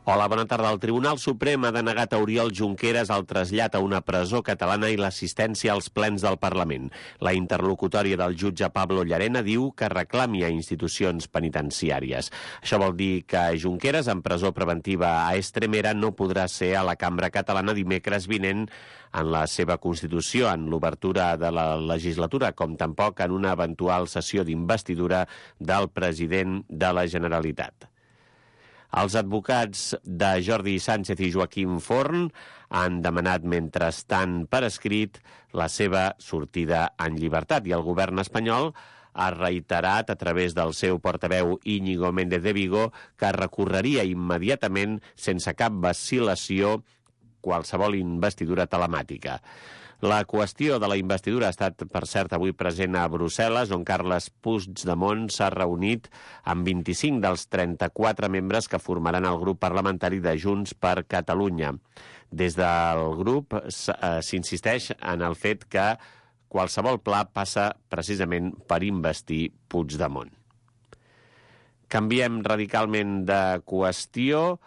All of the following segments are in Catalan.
Hola, bona tarda. El Tribunal Suprem ha denegat a Oriol Junqueras el trasllat a una presó catalana i l'assistència als plens del Parlament. La interlocutòria del jutge Pablo Llarena diu que reclami a institucions penitenciàries. Això vol dir que Junqueras, en presó preventiva a Estremera, no podrà ser a la cambra catalana dimecres vinent en la seva constitució, en l'obertura de la legislatura, com tampoc en una eventual sessió d'investidura del president de la Generalitat. Els advocats de Jordi Sánchez i Joaquim Forn han demanat mentrestant per escrit la seva sortida en llibertat i el govern espanyol ha reiterat a través del seu portaveu Íñigo Méndez de Vigo que recorreria immediatament sense cap vacil·lació qualsevol investidura telemàtica. La qüestió de la investidura ha estat, per cert, avui present a Brussel·les, on Carles Puigdemont s'ha reunit amb 25 dels 34 membres que formaran el grup parlamentari de Junts per Catalunya. Des del grup s'insisteix en el fet que qualsevol pla passa precisament per investir Puigdemont. Canviem radicalment de qüestió.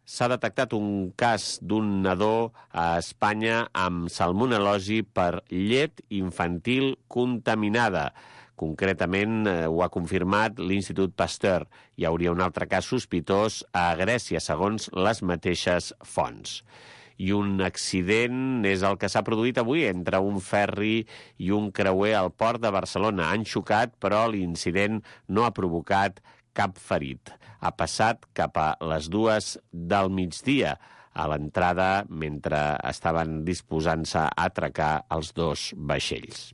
S'ha detectat un cas d'un nadó a Espanya amb salmonel·losi per llet infantil contaminada. Concretament, ho ha confirmat l'Institut Pasteur. Hi hauria un altre cas sospitós a Grècia, segons les mateixes fonts. I un accident és el que s'ha produït avui entre un ferri i un creuer al port de Barcelona. Han xocat, però l'incident no ha provocat cap ferit. Ha passat cap a les 2 del migdia, a l'entrada mentre estaven disposant-se a atracar els 2 vaixells.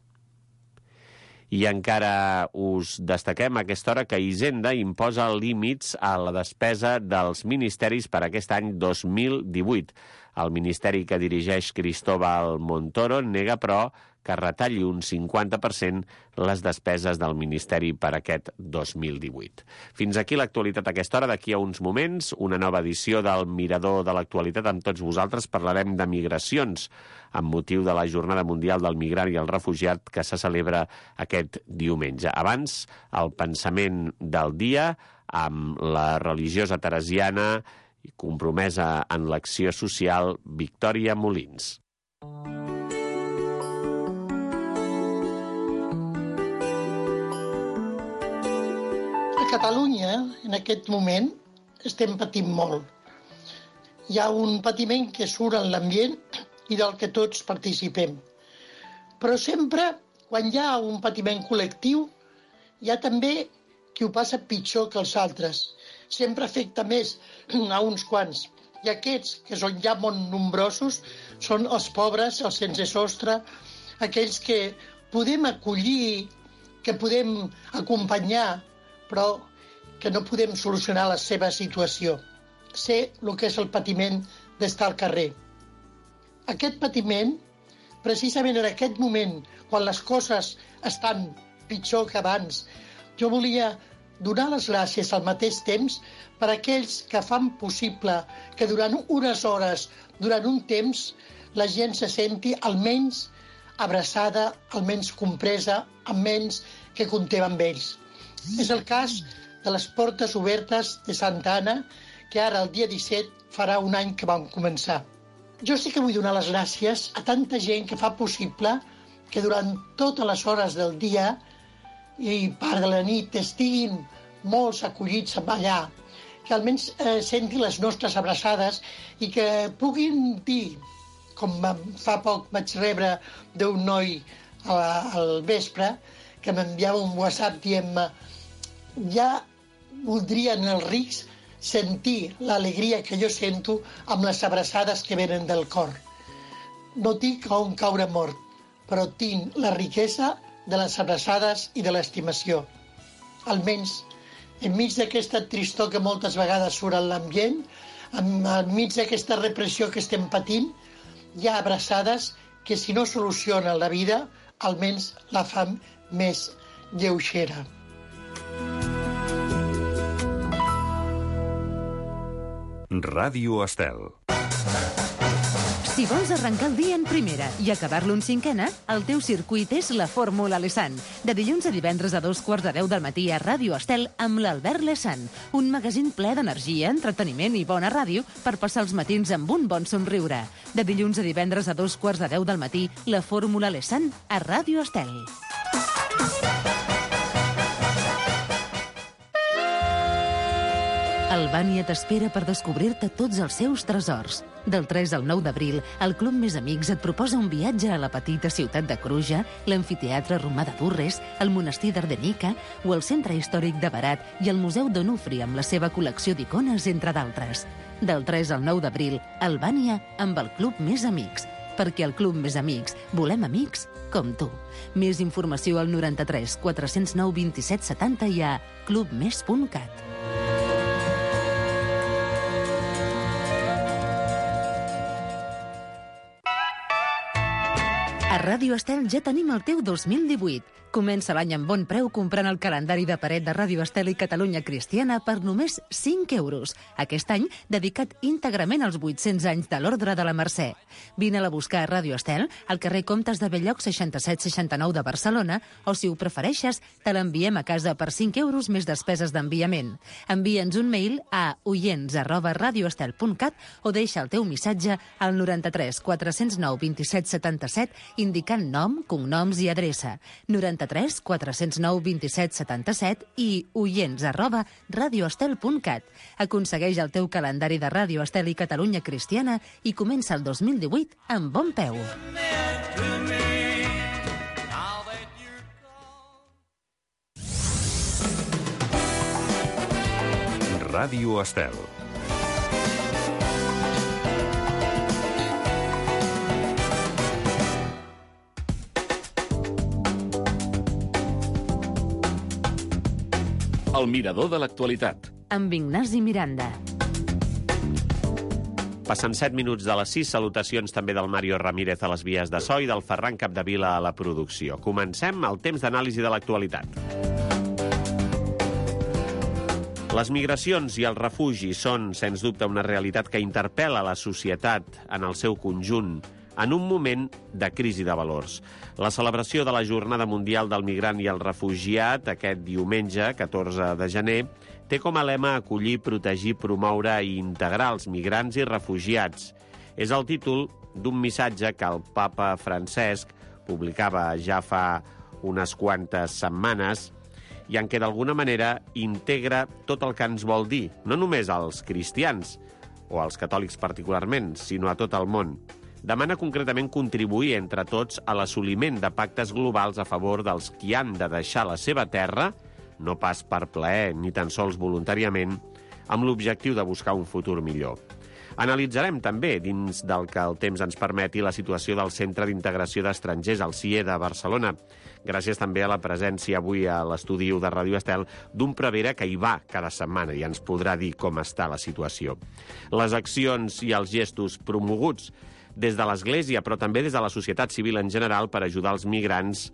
I encara us destaquem a aquesta hora que Hisenda imposa límits a la despesa dels ministeris per aquest any 2018. El ministeri que dirigeix Cristóbal Montoro nega, però, que retalli un 50% les despeses del Ministeri per aquest 2018. Fins aquí l'actualitat a aquesta hora. D'aquí a uns moments, una nova edició del Mirador de l'Actualitat. Amb tots vosaltres parlarem de migracions amb motiu de la Jornada Mundial del Migrant i el Refugiat que se celebra aquest diumenge. Abans, el pensament del dia amb la religiosa teresiana i compromesa en l'acció social Victòria Molins. A Catalunya, en aquest moment, estem patint molt. Hi ha un patiment que surt en l'ambient i del que tots participem. Però sempre, quan hi ha un patiment col·lectiu, hi ha també qui ho passa pitjor que els altres. Sempre afecta més a uns quants. I aquests, que són ja molt nombrosos, són els pobres, els sense sostre, aquells que podem acollir, que podem acompanyar, però que no podem solucionar la seva situació. Sé el que és el patiment d'estar al carrer. Aquest patiment, precisament en aquest moment, quan les coses estan pitjor que abans, jo volia donar les gràcies al mateix temps per a aquells que fan possible que durant unes hores, durant un temps, la gent se senti almenys abraçada, almenys compresa, almenys que comptem amb ells. És el cas de les portes obertes de Santa Anna, que ara, el dia 17, farà un any que vam començar. Jo sí que vull donar les gràcies a tanta gent que fa possible que durant totes les hores del dia i part de la nit estiguin molts acollits allà, que almenys sentin les nostres abraçades i que puguin dir, com fa poc vaig rebre d'un noi al vespre, que m'enviava un WhatsApp dient-me ja voldrien els rics sentir l'alegria que jo sento amb les abraçades que venen del cor. No tinc on caure mort, però tinc la riquesa de les abraçades i de l'estimació. Almenys, enmig d'aquesta tristor que moltes vegades surt en l'ambient, enmig d'aquesta repressió que estem patint, hi ha abraçades que si no solucionen la vida, almenys la fan més lleugera. Ràdio Estel. Si vols arrencar el dia en primera i acabar-lo en cinquena, el teu circuit és la Fórmula Lesan. De dilluns a divendres a 2:15 del matí a Ràdio Estel amb l'Albert Lesan. Un magazín ple d'energia, entreteniment i bona ràdio per passar els matins amb un bon somriure. De dilluns a divendres a 2:15 del matí, la Fórmula Lesan a Ràdio Estel. Albània t'espera per descobrir-te tots els seus tresors. Del 3 al 9 d'abril, el Club Més Amics et proposa un viatge a la petita ciutat de Cruja, l'amfiteatre romà de Durres, el monestir d'Ardenica o el centre històric de Berat i el Museu d'Onufri amb la seva col·lecció d'icones, entre d'altres. Del 3 al 9 d'abril, Albània amb el Club Més Amics. Perquè al Club Més Amics volem amics com tu. Més informació al 93 409 27 70 i a clubmes.cat. A Ràdio Estel ja tenim el teu 2018. Comença l'any amb bon preu comprant el calendari de paret de Ràdio Estel i Catalunya Cristiana per només 5 euros. Aquest any dedicat íntegrament als 800 anys de l'Ordre de la Mercè. Vine-la a buscar a Ràdio Estel, al carrer Comtes de Belllloc 6769 de Barcelona, o si ho prefereixes, te l'enviem a casa per 5 euros més despeses d'enviament. Envia'ns un mail a oients@radioestel.cat o deixa el teu missatge al 93 409 27 77 indicant nom, cognoms i adreça. 93 409 27 77 i oients@radioestel.cat. Aconsegueix el teu calendari de Ràdio Estel i Catalunya Cristiana i comença el 2018 amb bon peu. Ràdio Estel. El mirador de l'actualitat. Amb Ignasi Miranda. Passen 7 minuts de les 6. Salutacions també del Mario Ramírez a les vies de so i del Ferran Capdevila a la producció. Comencem el temps d'anàlisi de l'actualitat. Les migracions i el refugi són, sens dubte, una realitat que interpel·la la societat en el seu conjunt en un moment de crisi de valors. La celebració de la Jornada Mundial del Migrant i el Refugiat, aquest diumenge, 14 de gener, té com a lema acollir, protegir, promoure i integrar els migrants i refugiats. És el títol d'un missatge que el papa Francesc publicava ja fa unes quantes setmanes i en què d'alguna manera integra tot el que ens vol dir, no només als cristians o als catòlics particularment, sinó a tot el món. Demana concretament contribuir entre tots a l'assoliment de pactes globals a favor dels qui han de deixar la seva terra, no pas per plaer ni tan sols voluntàriament, amb l'objectiu de buscar un futur millor. Analitzarem també, dins del que el temps ens permeti, la situació del Centre d'Integració d'Estrangers, el CIE de Barcelona, gràcies també a la presència avui a l'estudi de Ràdio Estel d'un prevere que hi va cada setmana i ens podrà dir com està la situació. Les accions i els gestos promoguts des de l'Església, però també des de la societat civil en general, per ajudar els migrants,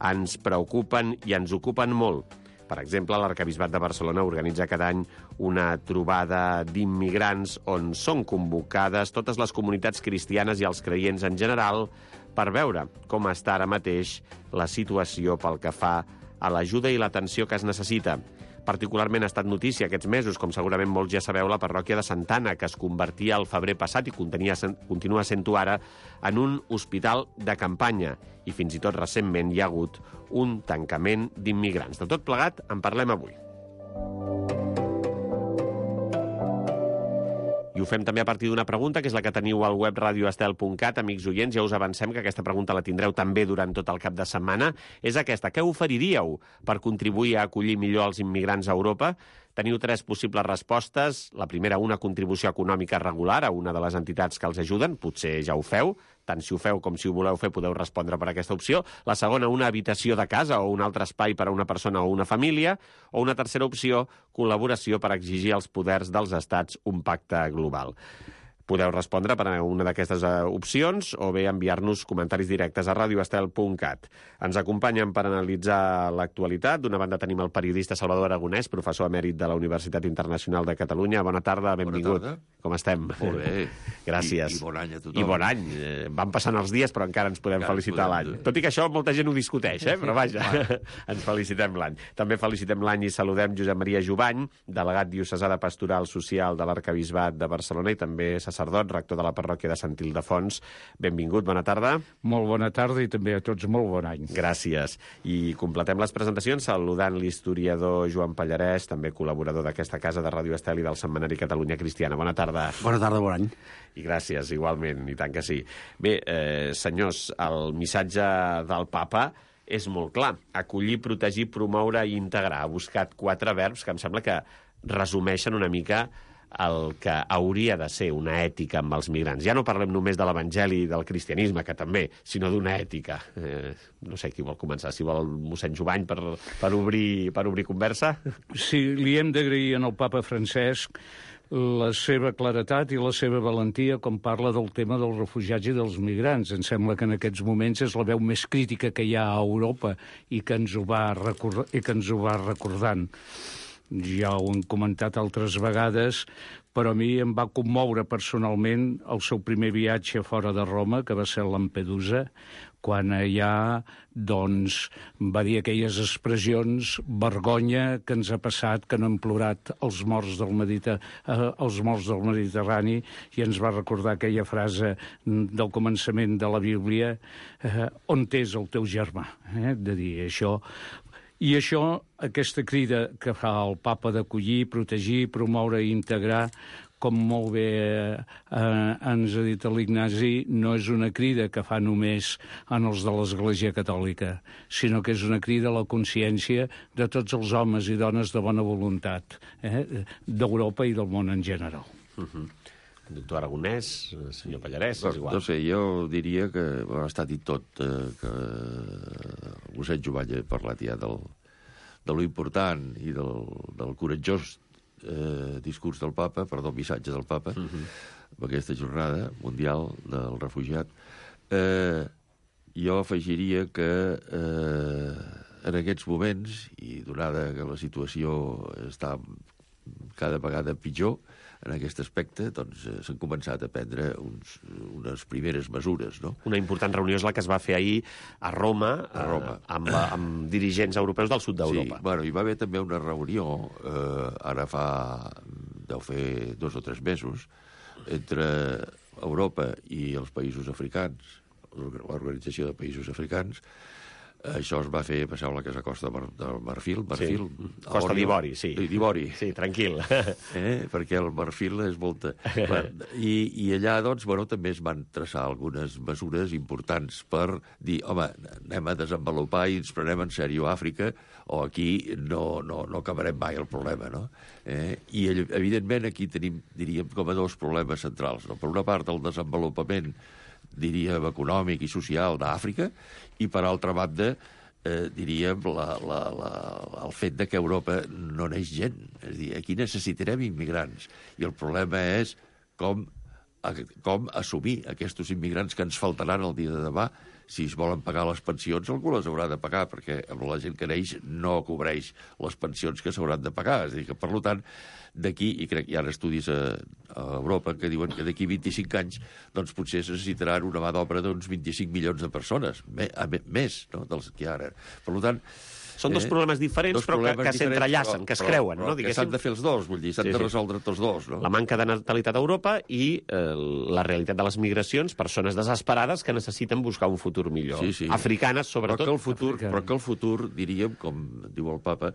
ens preocupen i ens ocupen molt. Per exemple, l'Arquebisbat de Barcelona organitza cada any una trobada d'immigrants on són convocades totes les comunitats cristianes i els creients en general per veure com està ara mateix la situació pel que fa a l'ajuda i l'atenció que es necessita. Particularment ha estat notícia aquests mesos, com segurament molts ja sabeu, la parròquia de Santana, que es convertia al febrer passat i continua sent-ho ara, en un hospital de campanya. I fins i tot recentment hi ha hagut un tancament d'immigrants. De tot plegat en parlem avui. I ho fem també a partir d'una pregunta, que és la que teniu al web radioestel.cat. Amics oients, ja us avancem que aquesta pregunta la tindreu també durant tot el cap de setmana. És aquesta: què oferiríeu per contribuir a acollir millor els immigrants a Europa? Teniu 3 possibles respostes. La primera, una contribució econòmica regular a una de les entitats que els ajuden. Potser ja ho feu. Tant si ho feu com si ho voleu fer podeu respondre per aquesta opció. La segona, una habitació de casa o un altre espai per a una persona o una família. O una tercera opció, col·laboració per exigir als poders dels estats un pacte global. Podeu respondre per a una d'aquestes opcions o bé enviar-nos comentaris directes a radioestel.cat. Ens acompanyen per analitzar l'actualitat. D'una banda tenim el periodista Salvador Aragonès, professor emèrit de la Universitat Internacional de Catalunya. Bona tarda, benvingut. Bona tarda. com estem? Molt bé. Gràcies. I bon any a tothom. I bon any. Van passant els dies, però encara ens podem felicitar l'any. Tot i que això molta gent ho discuteix, però vaja, ens felicitem l'any. També felicitem l'any i saludem Josep Maria Jubany, delegat diocesà de Pastoral Social de l'Arquebisbat de Barcelona i també sacerdot, rector de la parròquia de Sant Ildefons. Benvingut, bona tarda. Molt bona tarda i també a tots molt bon any. Gràcies. I completem les presentacions saludant l'historiador Joan Pallarès, també col·laborador d'aquesta casa de Ràdio Estel i del Setmanari Catalunya Cristiana. Bona tarda. Bona tarda, bon any. I gràcies, igualment, i tant que sí. Bé, senyors, el missatge del papa és molt clar. Acollir, protegir, promoure i integrar. Ha buscat 4 verbs que em sembla que resumeixen una mica el que hauria de ser una ètica amb els migrants. Ja no parlem només de l'evangeli i del cristianisme, que també, sinó d'una ètica. No sé qui vol començar, si vol mossèn Jubany per obrir conversa. Sí, li hem d'agrair al papa Francesc la seva claretat i la seva valentia com parla del tema dels refugiats i dels migrants. Em sembla que en aquests moments és la veu més crítica que hi ha a Europa i que ens ho va recordant. Ja ho hem comentat altres vegades, però a mi em va commoure personalment el seu primer viatge fora de Roma, que va ser a Lampedusa, quan allà va dir aquelles expressions, vergonya que ens ha passat, que no hem plorat els morts del Mediterrani, i ens va recordar aquella frase del començament de la Bíblia, on és el teu germà, de dir això. I això, aquesta crida que fa el papa d'acollir, protegir, promoure i integrar, com molt bé ens ha dit l'Ignasi, no és una crida que fa només en els de l'Església Catòlica, sinó que és una crida a la consciència de tots els homes i dones de bona voluntat d'Europa i del món en general. Doctor Aragonès, senyor Pallarès, és igual. No sé, jo diria que ha estat dit tot, que el mossèn Jubany ha parlat ja de lo important i del coratjós discurs del papa, missatge del papa, amb aquesta jornada mundial del refugiat. Jo afegiria que en aquests moments, i donada que la situació està cada vegada pitjor en aquest aspecte, doncs s'han començat a prendre unes primeres mesures, no? Una important reunió és la que es va fer ahir a Roma, amb dirigents europeus del sud d'Europa. Sí, bueno, hi va haver també una reunió, ara deu fer 2 o 3 mesos, entre Europa i els països africans, l'Organització de Països Africans. Això es va fer, passar a la Casa Costa del Marfil. Sí. Costa d'Ivori, sí. D'Ivori. Sí, tranquil. Perquè el Marfil és molta... I allà, doncs, també es van traçar algunes mesures importants per dir, home, anem a desenvolupar i ens prenem en sèrio Àfrica, o aquí no acabarem mai el problema, no? I, evidentment, aquí tenim, diríem, com a 2 problemes centrals, no? Per una part, el desenvolupament, diríem, econòmic i social d'Àfrica, i per altra banda, diríem, el fet de que a Europa no neix gent. És a dir, aquí necessitarem immigrants. I el problema és com assumir aquests immigrants que ens faltaran el dia de demà. Si es volen pagar les pensions, algú les haurà de pagar, perquè la gent que neix no cobreix les pensions que s'hauran de pagar. És a dir, que, per tant, d'aquí, i crec que hi ha estudis a Europa que diuen que d'aquí 25 anys doncs potser es necessitaran una mà d'obra d'uns 25 milions de persones, més, no?, dels que hi ha ara. Per tant, són 2 problemes diferents, però que s'entrellacen, que es creuen, no? Que s'han de fer els 2, vull dir, s'han de resoldre tots 2, no? La manca de natalitat a Europa i la realitat de les migracions, persones desesperades que necessiten buscar un futur millor. Africanes, sobretot. Però que el futur, diríem, com diu el papa,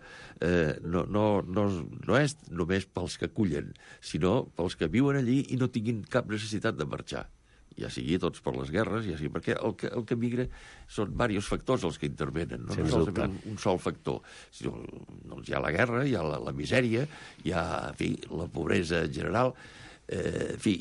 no és només pels que acullen, sinó pels que viuen allí i no tinguin cap necessitat de marxar. Ja sigui tots per les guerres, ja sigui perquè el que migra són diversos factors els que intervenen, no és un sol factor. Doncs hi ha la guerra, hi ha la misèria, hi ha, en fi, la pobresa en general. En fi,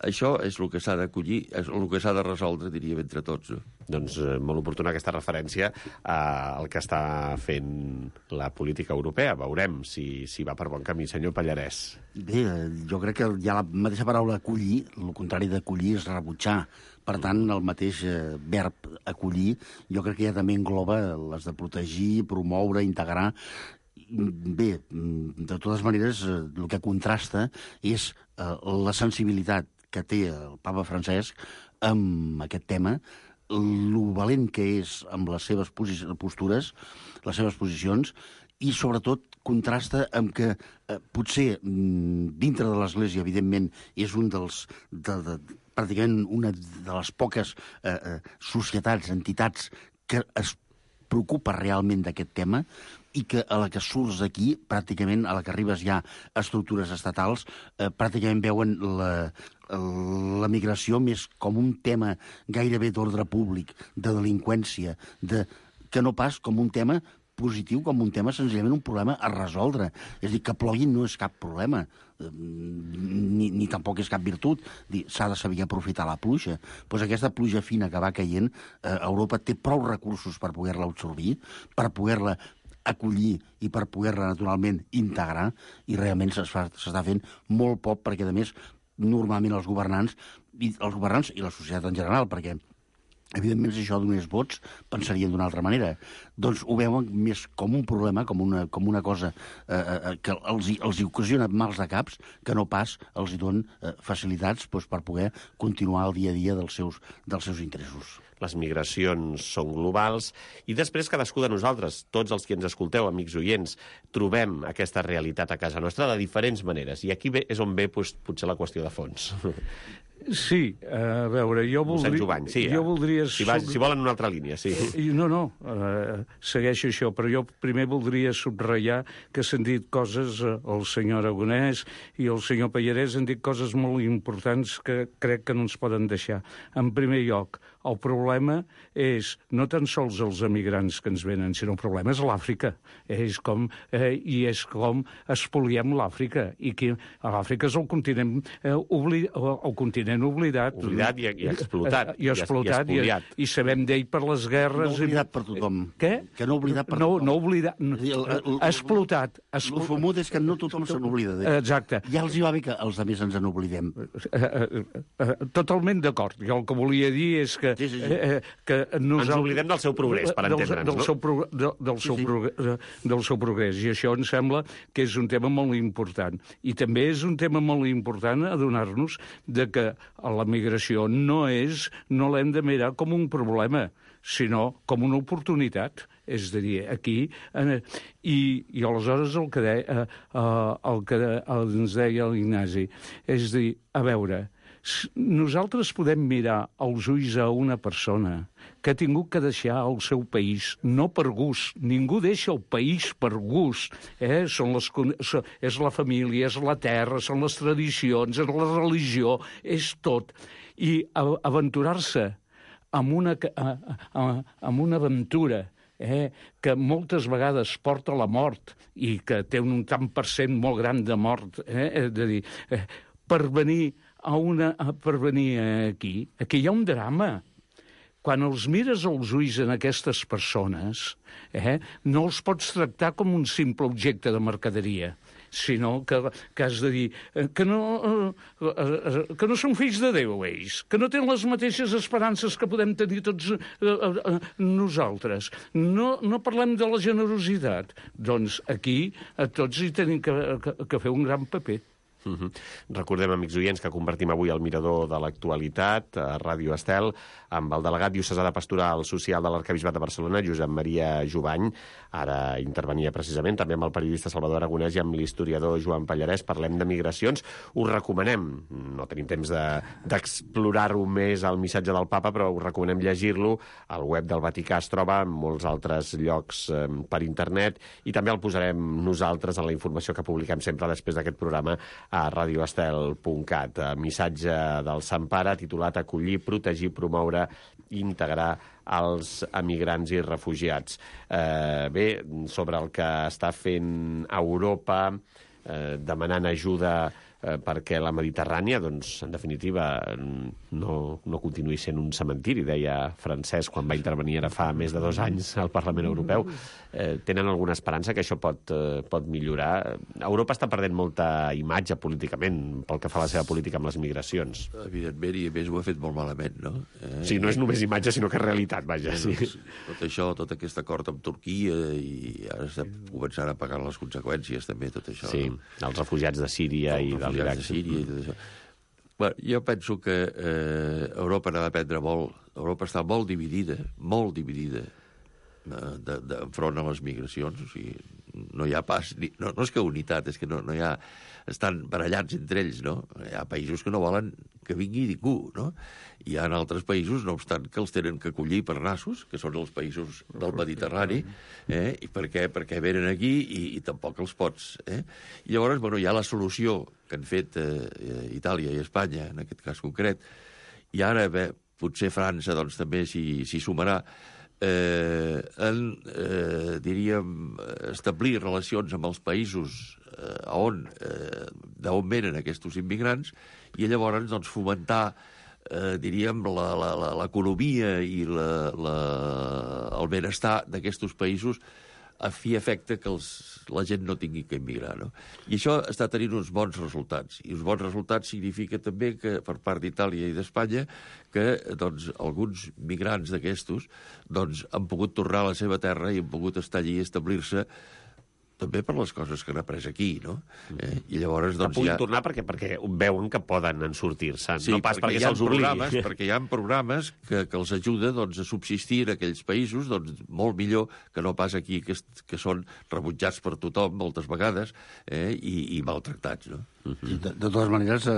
això és el que s'ha d'acollir, és el que s'ha de resoldre, diríem, entre tots. Doncs molt oportuna aquesta referència al que està fent la política europea. Veurem si va per bon camí. Senyor Pallarès. Bé, jo crec que ja la mateixa paraula acollir, el contrari d'acollir és rebutjar. Per tant, el mateix verb acollir, jo crec que ja també engloba les de protegir, promoure, integrar. bé, de totes maneres, el que contrasta és la sensibilitat que té el papa Francesc amb aquest tema, lo valent que és amb les seves postures, les seves posicions, i sobretot contrasta amb que potser dintre de l'Església, evidentment, és un pràcticament una de les poques societats, entitats que es preocupa realment d'aquest tema i que a la que surts aquí, pràcticament, a la que arribes ja a estructures estatals, pràcticament veuen la migració més com un tema gairebé d'ordre públic, de delinqüència, que no pas com un tema positiu, com un tema senzillament un problema a resoldre. És a dir, que plogui no és cap problema, ni tampoc és cap virtut. S'ha de saber aprofitar la pluja. Doncs aquesta pluja fina que va caient, Europa té prou recursos per poder-la absorbir, per poder-la acollir i per poder-la, naturalment, integrar, i realment s'està fent molt poc, perquè, a més, normalment els governants i la societat en general, perquè evidentment, si això donés vots, pensarien d'una altra manera. Doncs ho veuen més com un problema, com una cosa que els ocasiona mals de caps, que no pas els donen facilitats per poder continuar el dia a dia dels seus interessos. Les migracions són globals i després cadascú de nosaltres, tots els que ens escolteu, amics oients, trobem aquesta realitat a casa nostra de diferents maneres. I aquí és on ve potser la qüestió de fons. Sí, a veure, jo voldria... Jovany, sí, jo voldria... Si volen una altra línia, sí. No, segueixo això, però jo primer voldria subratllar que s'han dit coses, el senyor Aragonès i el senyor Pallarès han dit coses molt importants que crec que no ens poden deixar. En primer lloc, el problema és no tan sols els emigrants que ens venen, sinó el problema és l'Àfrica. És com espoliem l'Àfrica. I que l'Àfrica és el continent oblidat. Oblidat i explotat. I espoliat. I sabem d'ell per les guerres... No oblidat per tothom. Què? Que no oblidat per tothom. No oblidat. Explotat. El famut és que no tothom se n'oblida d'ell. Exacte. Ja els hi va bé que els altres ens n'oblidem. Totalment d'acord. Jo el que volia dir és que... que ens oblidem del seu progrés, per entendre'ns, no? Del seu progrés. I això em sembla que és un tema molt important. I també és un tema molt important adonar-nos de que la migració no l'hem de mirar com un problema, sinó com una oportunitat. És a dir, aquí... I aleshores el que ens deia l'Ignasi és dir, a veure, nosaltres podem mirar als ulls a una persona que ha tingut que deixar el seu país, no per gust. Ningú deixa el país per gust. És la família, és la terra, són les tradicions, és la religió, és tot. I aventurar-se amb una aventura que moltes vegades porta a la mort i que té un tant per cent molt gran de mort, és a dir, per venir aquí hi ha un drama. Quan els mires als ulls en aquestes persones, no els pots tractar com un simple objecte de mercaderia, sinó que has de dir que no són fills de Déu, ells, que no tenen les mateixes esperances que podem tenir tots nosaltres. No parlem de la generositat. Doncs aquí tots hi tenim que fer un gran paper. Recordem, amics oients, que convertim avui el mirador de l'actualitat a Ràdio Estel amb el delegat diocesà de Pastoral Social de l'Arquebisbat de Barcelona, Josep Maria Jovany. Ara intervenia precisament també amb el periodista Salvador Aragonès i amb l'historiador Joan Pallarès. Parlem de migracions. Us recomanem, no tenim temps d'explorar-ho més al missatge del papa, però us recomanem llegir-lo. Al web del Vaticà es troba en molts altres llocs per internet i també el posarem nosaltres en la informació que publiquem sempre després d'aquest programa a radioestel.cat. Missatge del Sant Pare titulat Acollir, protegir, promoure i integrar els emigrants i refugiats. Bé, sobre el que està fent Europa, demanant ajuda perquè la Mediterrània, doncs, en definitiva, no continuï sent un cementiri, deia Francesc quan va intervenir ara fa més de 2 anys al Parlament Europeu. Tenen alguna esperança que això pot millorar? Europa està perdent molta imatge políticament pel que fa a la seva política amb les migracions. Evidentment, i a més ho ha fet molt malament, no? Sí, no és només imatge, sinó que és realitat, vaja. Sí. Tot això, tot aquest acord amb Turquia, i ara estem començant a pagar les conseqüències, també, tot això. Sí, els refugiats de Síria i de l'Iraq. De Síria i tot això. Bueno, jo penso que Europa n'ha d'aprendre molt. Europa està molt dividida enfront a les migracions. O sigui, no hi ha pas... No és que unitat, és que no hi ha... Estan barallats entre ells, no? Hi ha països que no volen que vingui ningú, no? Hi ha altres països, no obstant, que els tenen que acollir per nassos, que són els països del Mediterrani, i perquè venen aquí i tampoc els pots. I llavors, bueno, hi ha la solució que han fet Itàlia i Espanya, en aquest cas concret, i ara, potser França, doncs, també s'hi sumarà, diríem, establir relacions amb els països d'on venen aquests immigrants i llavors doncs, fomentar diríem l'economia i el benestar d'aquests països a fi efecte que la gent no tingui que immigrar. No? I això està tenint uns bons resultats. I uns bons resultats significa també que per part d'Itàlia i d'Espanya que doncs, alguns migrants d'aquestos doncs, han pogut tornar a la seva terra i han pogut estar allí i establir-se també per les coses que han après aquí, no? I llavors, doncs, que puguin tornar perquè veuen que poden sortir-se, no pas perquè se'ls obligui. Perquè hi ha programes que els ajuda doncs, a subsistir en aquells països doncs, molt millor que no pas aquí, que són rebutjats per tothom moltes vegades i maltractats, no? De totes maneres,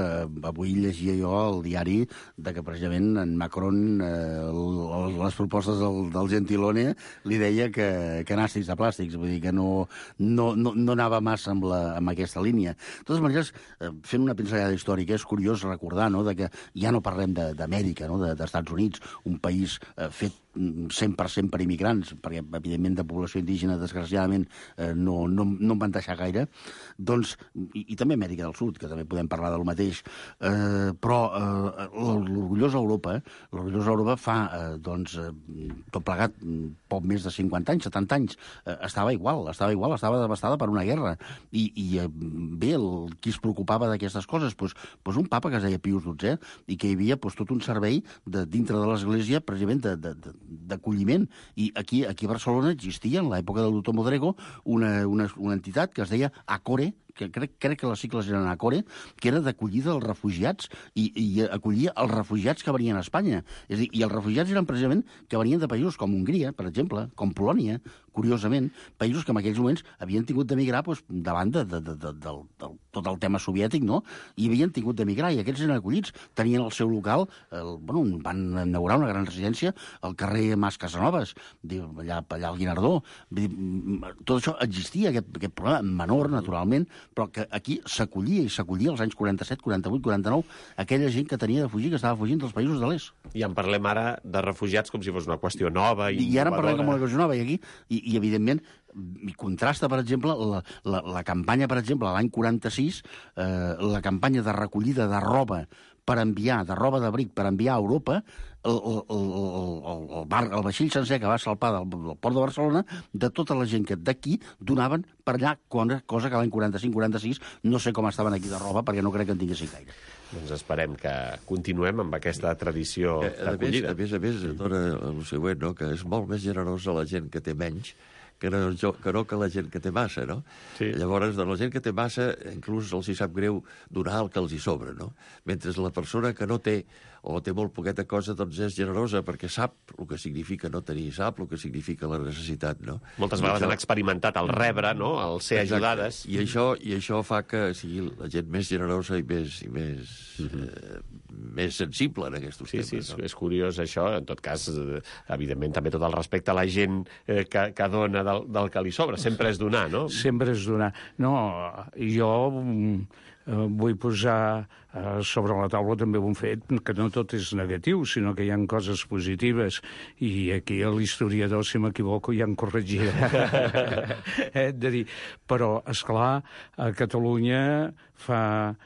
avui llegia jo al diari que precisament en Macron les propostes del Gentiloni li deia que nàstics de plàstics, vull dir que no anava massa amb aquesta línia. De totes maneres, fent una pinzellada històrica, és curiós recordar que ja no parlem d'Amèrica, dels Estats Units, un país fet 100% per immigrants, perquè, evidentment, de població indígena, desgraciadament, no en van deixar gaire, doncs, i també Amèrica del Sud, que també podem parlar del mateix, però l'orgullosa Europa fa, doncs, tot plegat, poc més de 50 anys, 70 anys, estava igual, estava devastada per una guerra, i bé, qui es preocupava d'aquestes coses? Doncs un papa que es deia Pius XII, i que hi havia tot un servei dintre de l'Església, precisament, d'acolliment. I aquí a Barcelona existia, en l'època del doctor Modrego, una entitat que es deia Acore, que crec que les sigles eren Acore, que era d'acollida dels refugiats i acollia els refugiats que venien a Espanya. És a dir, i els refugiats eren precisament que venien de països com Hongria, per exemple, com Polònia, curiosament, països que en aquells moments havien tingut d'emigrar davant de tot el tema soviètic, no? I havien tingut d'emigrar, i aquests eren acollits, tenien el seu local, van inaugurar una gran residència al carrer Mas Casanovas, allà al Guinardó. Tot això existia, aquest problema menor, naturalment, però que aquí s'acollia als anys 47, 48, 49, aquella gent que tenia de fugir, que estava fugint dels països de l'est. I en parlem ara de refugiats com si fos una qüestió nova i ara en parlem com una qüestió nova, i evidentment, i contrasta, per exemple, la campanya, per exemple, l'any 46, la campanya de recollida de roba per enviar, de roba d'abric per enviar a Europa, el vaixell sencer que va salpar del port de Barcelona, de tota la gent que d'aquí donaven per allà, cosa que l'any 45-46 no sé com estaven aquí de roba, perquè no crec que en tinguessin gaire. Doncs esperem que continuem amb aquesta tradició d'acollida. A més, dona el següent, no? Que és molt més generosa la gent que té menys que no que la gent que té massa, no? Sí. Llavors, la gent que té massa, inclús els hi sap greu donar el que els hi sobra, no? Mentre la persona que no té o té molt poqueta cosa, doncs és generosa perquè sap el que significa no tenir, sap el que significa la necessitat, no? Moltes vegades han experimentat el rebre, no?, el ser ajudades. I això fa que sigui la gent més generosa i més sensible en aquests temes. Sí, és curiós això. En tot cas, evidentment, també tot el respecte a la gent que dona del que li sobra. Sempre és donar, no? Sempre és donar. No, jo vull posar sobre la taula també un fet que no tot és negatiu, sinó que hi ha coses positives, i aquí l'historiador, si m'equivoco, ja em corregirà. De dir, però, esclar, a Catalunya en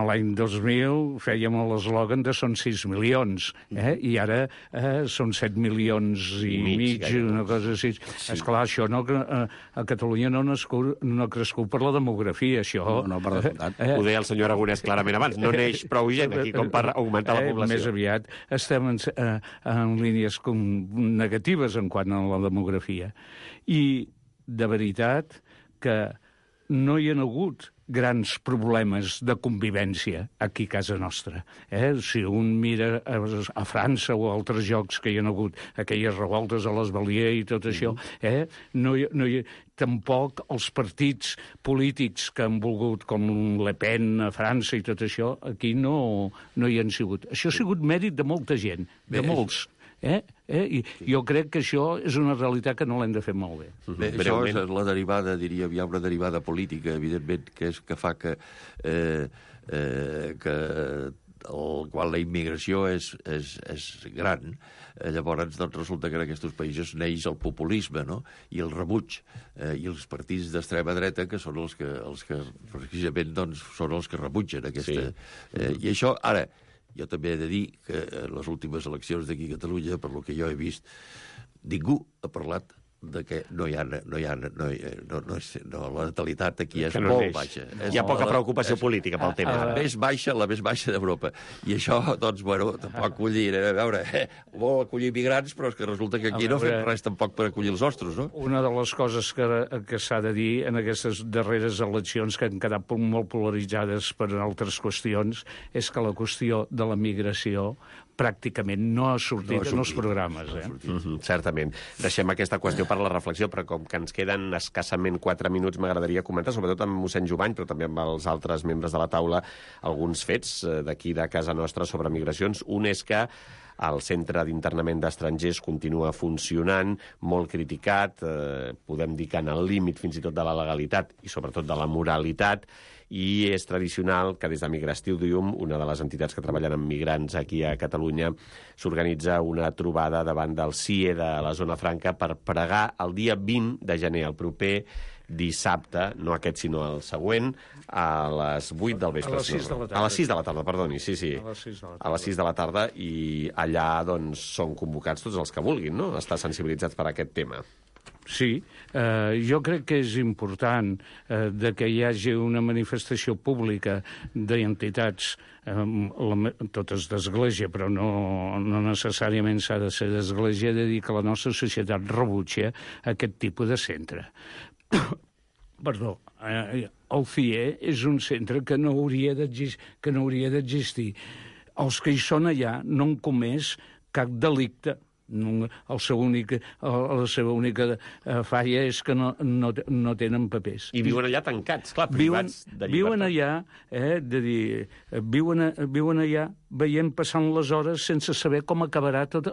l'any 2000 fèiem l'eslògan de són 6 milions, i ara són 7 milions i mig, una cosa així. Esclar, això a Catalunya no ha crescut per la demografia, això. No, per descomptat. Ho deia el senyor Aragonès clarament abans, no neix prou gent aquí com per augmentar la població. Més aviat estem en línies negatives en quant a la demografia. I, de veritat, que no hi ha hagut grans problemes de convivència aquí a casa nostra. Si un mira a França o a altres llocs que hi ha hagut, aquelles revoltes a les Baliers i tot això, tampoc els partits polítics que han volgut, com Le Pen a França i tot això, aquí no hi han sigut. Això ha sigut mèrit de molta gent, de molts. I jo crec que això és una realitat que no l'hem de fer molt bé. Bé, això és la derivada, diríem, hi ha una derivada política, evidentment, que fa que quan la immigració és gran, llavors doncs, resulta que en aquests països neix el populisme, no? I el rebuig, i els partits d'extrema dreta, que són els que precisament doncs, són els que rebutgen aquesta... I això, ara, jo també he de dir que en les últimes eleccions d'aquí a Catalunya, per lo que jo he vist, ningú ha parlat de que la natalitat aquí és molt baixa. Hi ha poca preocupació política pel tema. La més baixa d'Europa. I això, doncs, bueno, tampoc acollir... A veure, vol acollir migrants, però és que resulta que aquí no fem res tampoc per acollir els nostres, no? Una de les coses que s'ha de dir en aquestes darreres eleccions, que han quedat molt polaritzades per altres qüestions, és que la qüestió de la migració pràcticament no ha sortit en els programes. Certament. Deixem aquesta qüestió per la reflexió, però com que ens queden escassament 4 minuts, m'agradaria comentar, sobretot amb mossèn Jovany, però també amb els altres membres de la taula, alguns fets d'aquí de casa nostra sobre migracions. Un és que el centre d'internament d'estrangers continua funcionant, molt criticat, podem dir que en el límit fins i tot de la legalitat i sobretot de la moralitat, i és tradicional que des de Migrastidium, una de les entitats que treballen amb migrants aquí a Catalunya, s'organitza una trobada davant del CIE de la Zona Franca per pregar el dia 20 de gener, el proper dissabte, no aquest sinó el següent, a les 8 del vespre. A les 6 de la tarda. A les 6 de la tarda, perdoni, sí. A les 6 de la tarda, i allà doncs són convocats tots els que vulguin, no?, estar sensibilitzats per aquest tema. Sí, jo crec que és important de que hi hagi una manifestació pública d'entitats, totes d'església, però no necessàriament s'ha de ser d'església, de dir que la nostra societat rebutja aquest tipus de centre. Perdó, el CIE és un centre que no hauria d'existir. Els que hi són allà no han comès cap delicte. La seva única falla és que no tenen papers. I viuen allà tancats, clar, privats de llibertat. Viuen allà, viuen allà veient passant les hores sense saber com acabarà tot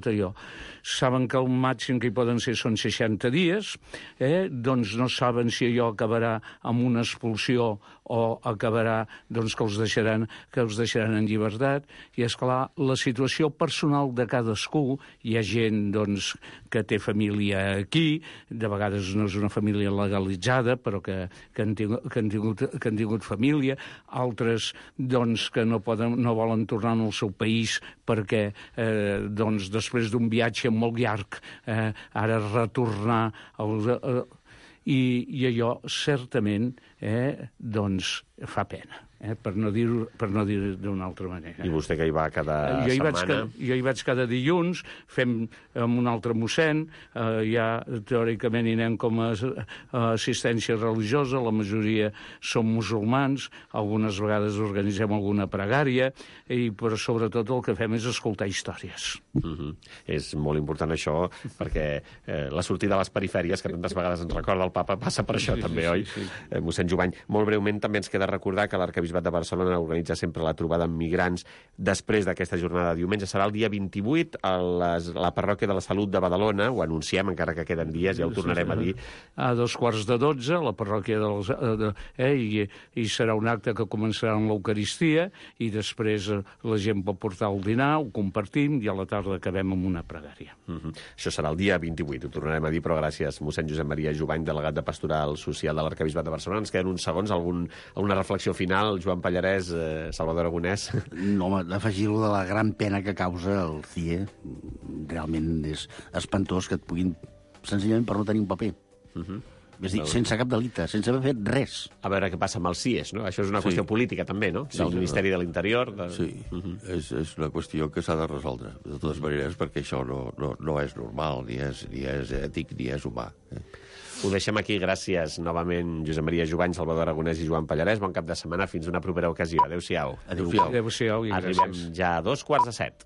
allò. Saben que el màxim que hi poden ser són 60 dies, doncs no saben si allò acabarà amb una expulsió o acabarà doncs, que els deixaran en llibertat. I, esclar, la situació personal de cadascú, hi ha gent doncs, que té família aquí, de vegades no és una família legalitzada, però que han tingut família, altres doncs, que no volen tornar al seu país perquè doncs, després d'un viatge molt llarg ara retornar i allò certament doncs, fa pena. Per no dir d'una altra manera. I vostè que hi va cada setmana? Jo hi vaig cada dilluns, fem amb un altre mossèn, ja teòricament hi anem com a assistència religiosa, la majoria són musulmans, algunes vegades organitzem alguna pregària, però sobretot el que fem és escoltar històries. És molt important això, perquè la sortida a les perifèries, que tantes vegades ens recorda el papa, passa per això també, oi? Mossèn mossèn Jovany. Molt breument també ens queda recordar que l'Arquebisbat de Barcelona organitza sempre la trobada amb migrants després d'aquesta jornada de diumenge. Serà el dia 28 a la parròquia de la Salut de Badalona. Ho anunciem, encara que queden dies, ja ho tornarem a dir. A 12:45, a la parròquia i serà un acte que començarà amb l'Eucaristia i després la gent pot portar el dinar, ho compartim i a la tarda acabem amb una pregària. Això serà el dia 28, ho tornarem a dir, però gràcies, mossèn Josep Maria Jovany, delegat de Pastoral Social de l'Arquebisbat de Barcelona. Ens queden uns segons, alguna reflexió final, Joan Pallarès, Salvador Aragonès? No, home, d'afegir-lo de la gran pena que causa el CIE, realment és espantós que et puguin, senzillament per no tenir un paper. És dir, sense cap delicte, sense haver fet res. A veure què passa amb els CIEs, no? Això és una qüestió política, també, no? Del Ministeri de l'Interior. Sí, és una qüestió que s'ha de resoldre, de totes maneres, perquè això no és normal, ni és ètic, ni és humà. Ho deixem aquí. Gràcies novament, Josep Maria Jovany, Salvador Aragonès i Joan Pallarès. Bon cap de setmana, fins una propera ocasió. Adéu-siau. Adéu-siau i gràcies. Arribem ja a 2:45.